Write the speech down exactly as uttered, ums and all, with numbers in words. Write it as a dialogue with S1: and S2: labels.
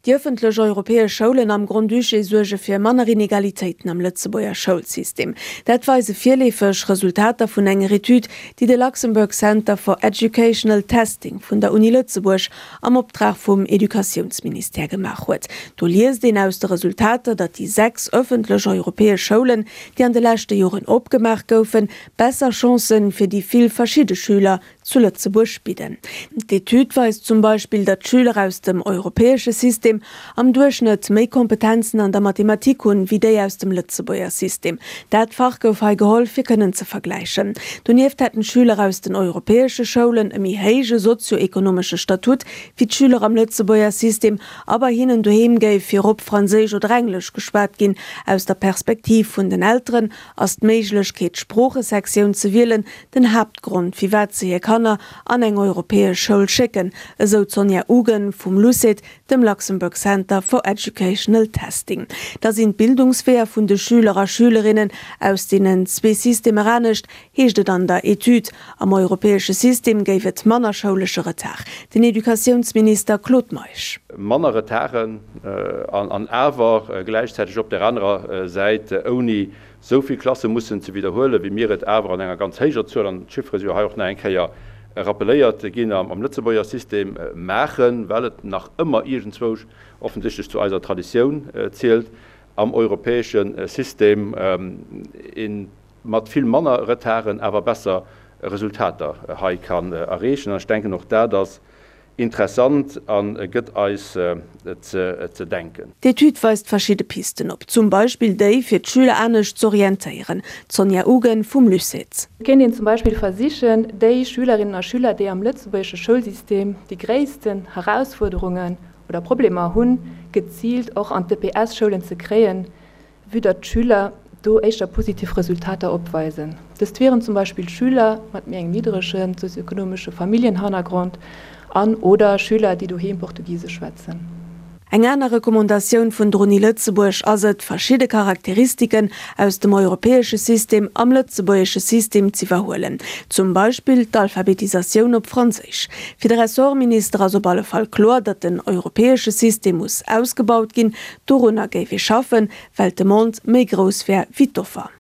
S1: Déi ëffentlech europäesch Schoulen am Grand-Duché suerge fir manner Inegalitéiten am Lëtzebuerger Schoulsystem. Dat weise virleefeg Resultater vun enger Etüd, déi de Luxembourg Center for Educational Testing vun der Uni Lëtzebuerg am Optrag vum Educatiounsministère gemaach huet. Do liest een aus de Resultater, datt déi sechs ëffentlech europäesch Schoulen, déi an de leschte Joren opgemaach goufen, besser Chancen fir déi vill verschidde Schüler zu Lëtzebuerg bidden. D'Etüd weist zum Beispill, datt d'Schüler aus dem europäesche System am Duerchschnëtt méi Kompetenzen an der Mathematik hunn, wéi déi aus dem Lëtzebuerger System. Dat Fach gouf hei geholl, fir kënnen ze vergläichen. Donieft hätten d'Schüler aus den europäesche Schoulen e méi héije sozio-ekonomesche Statut wéi d'Schüler am Lëtzebuerger System, a bei hinnen doheem géif virop Franséisch oder Englesch geschwat ginn. Aus der Perspektiv vun den Elteren ass d'Méiglechkeet, d'Sproochesektioun ze wielen, den Haaptgrond, firwat se hir Kanner an eng europäesch Schoul schécken, esou d'Sonja Ugen vum LUCET, dem Luxembourg Center for Educational Testing. Da sinn d'Bildungsweeër vun de Schüler a Schülerinnen aus deenen zwee Systemer anescht, heescht et an der Etüd. Am europäesche System géif et manner schoulesche Retard. Den Educatiounsminister Claude Meisch.
S2: Manner Retarden an awer gläichzäiteg op der anerer Säit ouni esou vill Klasse mussen ze widderhuelen, wéi mir et awer an enger ganz héijer Zuel, an d'Chiffere si jo hei och nach eng Kéier rappeléiert ginn, am Lëtzebuerger System maachen, well et nach ëmmer iergendzwousch offensichtlech zu eiser Traditioun zielt, am europäesche System ee mat vill manner Retarden awer besser Resultater hei kann erreechen. An ech denken, och dat ass Interessant a gëtt eis ze denken.
S1: D'Etüd weist verschidde Pisten op, zum Beispill déi, fir d'Schüler anescht z'orientéieren. D'Sonja Ugen vum LUCET.
S3: Et kéint een zum Beispill versichen, déi Schülerinnen a Schüler, déi am lëtzebuergesche Schoulsystem déi gréissten Herausfuerderungen oder Problemer hunn, geziilt och an d'EPS-Schoulen ze kréien, vue datt d'Schüler do éischter positiv Resultater opweisen. Dëst wieren zum Beispill Schüler mat méi engem niddrege sozioekonomesche Familljenhannergrond an, oder Schüler, déi doheem Portugisesch schwätzen.
S1: Eng aner Recommandatioun vun der Uni Lëtzebuerg ass et, verschidde Charakteristiken aus dem europäesche System am lëtzebuergesche System z'iwwerhuelen, zum Beispill d'Alphabetisatioun op Franséisch. Fir de Ressortminister ass op alle Fall kloer, datt den europäesche System muss ausgebaut ginn. Dorunner géif ee schaffen, well d'Demande méi grouss wär wéi d'Offer.